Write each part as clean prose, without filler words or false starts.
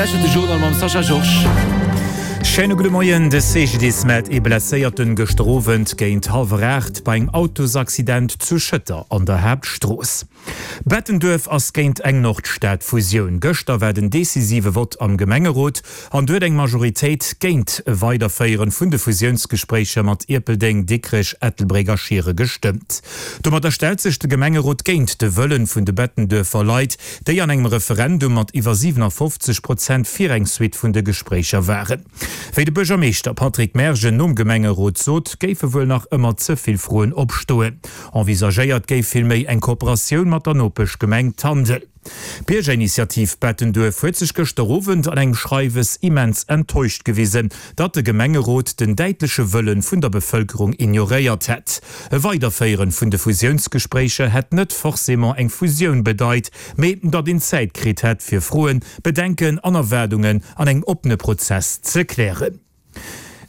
lauschtert de Journal mam Sascha Georges. Schéine gudde Moien. De CGDIS mellt ee Blesséierten gëschter Owend géint hallwer 8 bei engem Autosaccident zu Schëtter an der Haaptstrooss. Bettenduerf ass géint eng Nordstad-Fusioun. Gëschter war den decisive Vott am Gemengerot an do huet eng Majoritéit géint e Weiderféieren vun de Fusiounsgespréicher mat Ierpeldeng, Dikrech, Ettelbréck a Schiere gestëmmt. Domadder stellt sech de Gemengerot géint de Wëllen vun de Bettenduerfer Leit, déi an engem Referendum mat iwwer 57 Prozent fir eng Suite vun de Gespréicher waren. Wéi de Buergermeeschter Patrick Mergen nom Gemengerot sot, géife wuel nach ëmmer ze vill Froen opstoen. Envisagéiert géif villméi eng Kooperatioun mat der Nopeschgemeng Tandel. D'Biergerinitiativ Bettenduerf huet sech gëschter Owend an engem Schreiwes immens enttäuscht gewisen, datt de Gemengerot den däitleche Wëllen vun der Bevëlkerung ignoréiert hätt. E Weiderféieren vun de Fusiounsgespréicher hätt net forcément eng Fusioun bedeit, mee datt een Zäit kritt hätt fir Froen, Bedenken an Erwaardungen an engem oppene Prozess ze klären.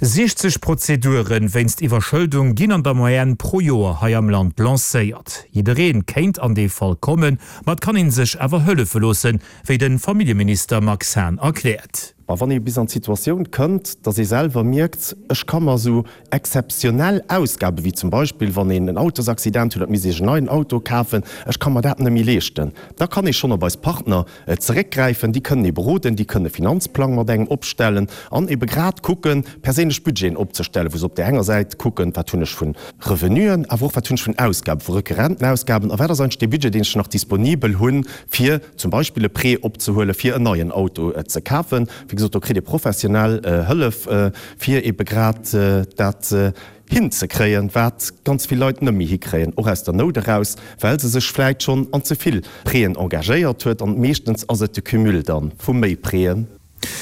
60 Prozedure wéinst Iwwerschëldung ginn an der Moyenne pro Joer hei am Land lancéiert. Jidderee kéint an dee Fall kommen, ma et kann ee sech awer hëllefe loossen, wéi de Familljeminister Max Hahn erkläert. Ma wann ee bis an d'Situatioun kënnt, datt ee selwer mierkt, ech ka mer esou exzeptionell Ausgaben, wéi zum Beispill wann een en Autosaccident huet an et misst ee sech en neien Auto kafen, ech ka mer dat net méi leeschten, da kann ee schonn op eis Partner zeréckgräifen. Déi kënnen ee beroden, déi kënnen e Finanzplang mat engem opstellen an ebe grad kucken, perséinlech Budgeten opzestellen, wou se op där enger Säit kucken, wat hunn ech vu Revenuen, awer och wat hunn ech vun Ausgaben, vu rekurrenten Ausgaben a wat ass eigentlech dee Budget, deen ech nach disponibel hunn, fir zum Beispill e Prêt opzehuelen, fir en neien Auto ze kafen. Wéi gesot, do kritt ee professionell Hëllef, fir ebe grad dat hinzekréien, wat ganz vill Leit net méi hikréien, och aus der Nout eraus, well se sech vläit schonn an ze vill Prêten engagéiert huet. An meeschtens ass et de Cumul da vu méi Prêten.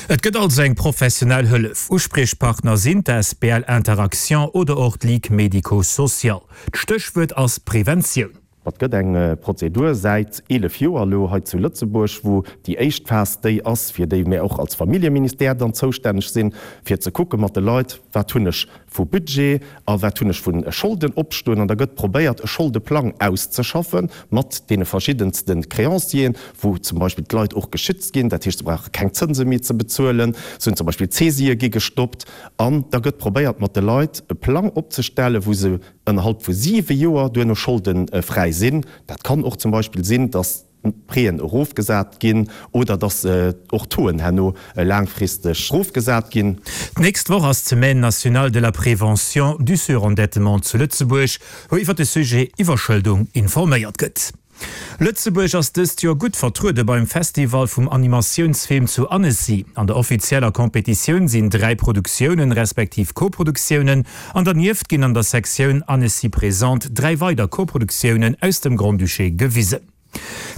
Et gëtt also eng professionell Hëllef. Uspriechpartner sinn d'asbl Interaction oder och d'Ligue médico-sociale. D'Stéchwuert ass Preventioun. Et gëtt eng Prozedur säit 11 Joer elo hei zu Lëtzebuerg, wou déi éischt Phas déi ass, fir déi mir och als Familljeministère dann zoustänneg sinn, fir ze kucke mat de Leit, wat hunn ech vu Budget a wat hunn ech vu Scholden opstoen. An da gëtt probéiert, e Scholdeplang auszeschaffe mat deene verschiddenste Créancieren, wou zum Beispill d'Leit och geschützt ginn, dat heescht, se brauche keng Zënse méi ze bezuelen, se hunn zum Beispill d'Saisië gi gestoppt. An da gëtt probéiert, mat de Leit e Plang opzestellen, wou se ënnerhalb vu siwe Joer duerno scholdefräi sinn. Dat kann och zum Beispill sinn, datt d'Prêten erofgesat ginn oder datt och d'Tauxen herno laangfristeg erofgesat ginn. D'nächst Woch ass d'Semaine nationale de la prévention du surendettement zu Lëtzebuerg, wou iwwer de Sujet Iwwerschëldung informéiert gëtt. Lëtzebuerg ass dëst Joer gutt vertruede beim Festival vum Animatiounsfilm zu Annecy. An der offizieller Competitioun sinn 3 Produktiounen, respektiv Koproduktiounen, an dernieft ginn an der Sektioun Annecy Présente 3 weider Koproduktiounen aus dem Grand-Duché gewisen.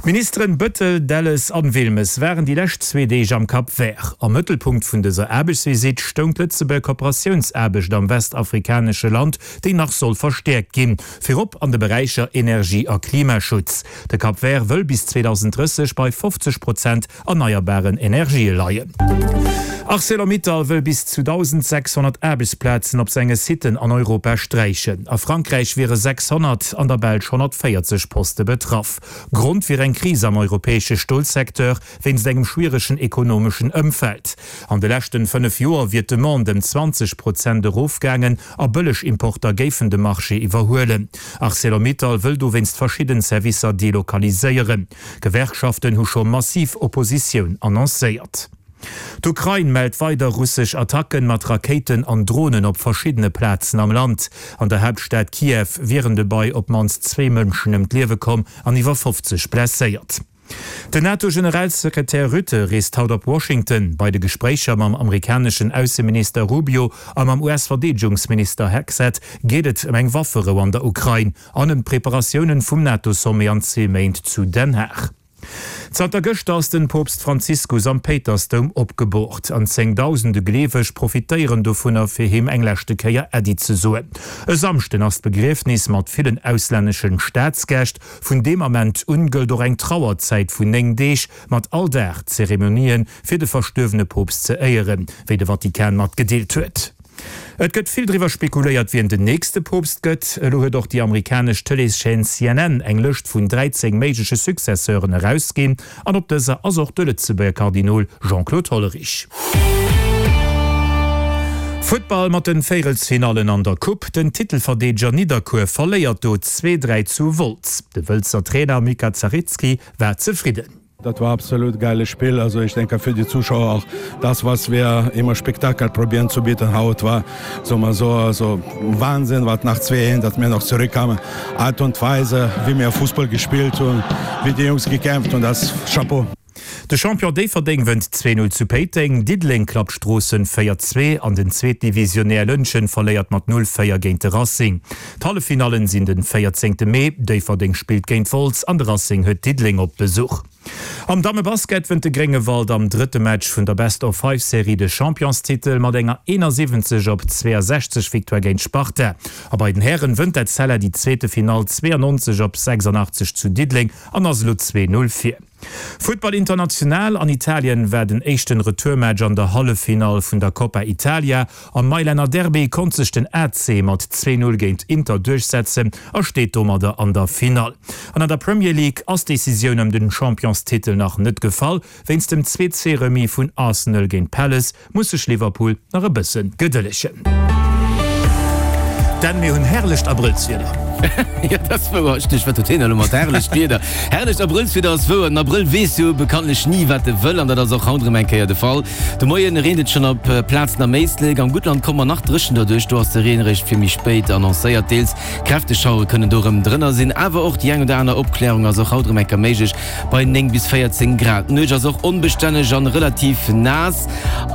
D'Ministeren Bettel, Delles an Wilmes waren déi lescht zwee Deeg am Cap Vert. Am Mëttelpunkt vun dëser Aarbechtsvisitt stoung d'Lëtzebuerger Kooperatiounsaarbecht am westafrikanesche Land, déi nach soll verstäerkt ginn. Virop an de Beräicher Energie a Klimaschutz. De Cap Vert wëll bis 2030 bei 50 Prozent erneierbaren Energië leien. Arcelor-Mittal wëll bis zu 1.600 Aarbechtsplazen op senge Siten an Europa sträichen. A Frankräich wiere 600, an der Belsch 140 Poste betraff. Grond wier eng Kris am europäesche Stolsecteur wéinst engem schwieregen ekonomeschen Ëmfeld. An de leschten 5 Joer wier d'Demande ëm 20 Prozent erofgaangen a bëlleg Importer géifen de Marché iwwerhuelen. Arcelor-Mittal wëll dowéinst verschidden Servicer delokaliséieren. Gewerkschaften hu scho massiv Oppositioun annoncéiert. D'Ukrain mellt weider russesch Attacken mat Rakéiten an Dronen op verschiddene Plazen am Land. An der Haaptstad Kiew wieren dobei op d'mannst zwee Mënschen ëm d'Liewe komm an iwwer 50 blesséiert. Den NATO-Generalsekretär Rutte reest haut op Washington. Bei de Gespréicher mam amerikaneschen Ausseminister Rubio a mam US-Verdeedegungsminister Hegseth geet et ëm eng Wafferou an der Ukrain an ëm d'Preparatiounen vum NATO-Sommet an zwee Méint zu Den Haag. Zanter gëschter ass den Poopst Franziskus am Péitersdoum opgeboort an zéngdausende Gleeweg profitéieren dovunner fir him eng leschte Kéier Äddi ze soen. E Samschden ass d'Begriefnis mat villen auslänneschen Staatsgäscht. Vun deem Ament un gëllt och eng Trauerzäit vun 9 Deeg, mat all Dag Zeremonien, fir de verstuerwene Poopst ze éieren, wéi de Vatikan matgedeelt huet. Et gëtt vill driwwer spekuléiert, wien den nächste Poopst gëtt. Elo huet och déi amerikanesch Tëleeschaîne CNN eng Lëscht vun 13 méigleche Successeuren erausginn an op dëser ass och de Lëtzebuerger Kardinol Jean-Claude Hollerich. Futtball mat den Véierelsfinallen an der Coupe, Den Titelverdeedeger Nidderkuer verléiert do 2, 3 zu Wolz. De Wëlzer Trainer Mika Zarecki war zefridden. Das war absolut geiles Spiel. Also ich denke für die Zuschauer auch das, was wir immer Spektakel probieren zu bieten, haut war so mal so also Wahnsinn, was nach zwei dass wir noch zurückkamen. Art und Weise, wie wir Fußball gespielt und wie die Jungs gekämpft und das Chapeau. De Champion Déifferdeng wënnt 2, 0 zu Péiteng, Diddeleng klappt Stroossen 4, 2 an den Zweetdivisionär Lëntgen verléiert mat 0, 4 géint de Racing. D'Halleffinallen sinn den 14 Mee, Déifferdeng spillt géint Wolz an de Racing huet Diddeleng op Besuch. Am Dammebasket wënnt de Gréngewald am drëtte Match vun der Best-of-Five-Serie de Championstitel mat enger 71 op 62 Victoire géint Sparta. A bei den Hären wënnt d'Etzella déi zweete Finall 92 op 86 zu Diddeleng an ass elo 2, 0 vir. Futtball international, An Italien war den éischten Retourmatch an der Halleffinall vun der Coppa Italia. Am Mailänner Derby konnt sech den AC mat 2, 0 géint Inter duerchsetzen a steet domadder an der Finall. An an der Premier League ass d'Decisioun ëm den Championstitel nach net gefall. Wéinst dem 2, 2 Remis vun Arsenal géint Palace muss sech Liverpool nach e bësse gedëllegen. Denn mir hunn herrlecht Abrëllswieder. Jo, dat ass wouer. Ech duecht, wat huet hien elo mat herrlecht Wieder? Herrlecht Abrëllswieder ass wouer. Den Abrëll weess jo bekanntlech ni, wat e wëll, an dat ass och haut erëm eng Kéier de Fall. De Moien reent et schonn op Plazen am Éislek. Am Guttland komme mer nach dréchen derduerch, do ass de Reen eréischt fir méi spéit annoncéiert. Deels kräfteg Schauere kënnen do erëm drënner sinn, awer och déi eng oder aner Opklärung ass och haut erëm eng Kéier méiglech. Bei 9 bis 14 Grad. D'Nuecht ass och onbestänneg an relativ naass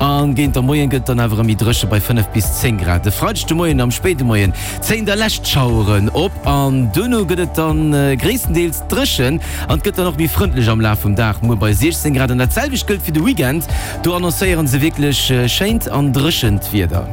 an géint der Moien gëtt et dann awer erëm méi dréche bei 5 bis 10 Grad. E Freideg de Moien am spéide Moien zéien da lescht Schaueren op an duerno gëtt et dann gréisstendeels dréchen an et gëtt dann och méi frëndlech am Laf vum Dag, muer bei 16 Grad. An dat selwecht gëllt fir de Weekend, do annoncéieren se wierklech schéint an dréchent Wieder.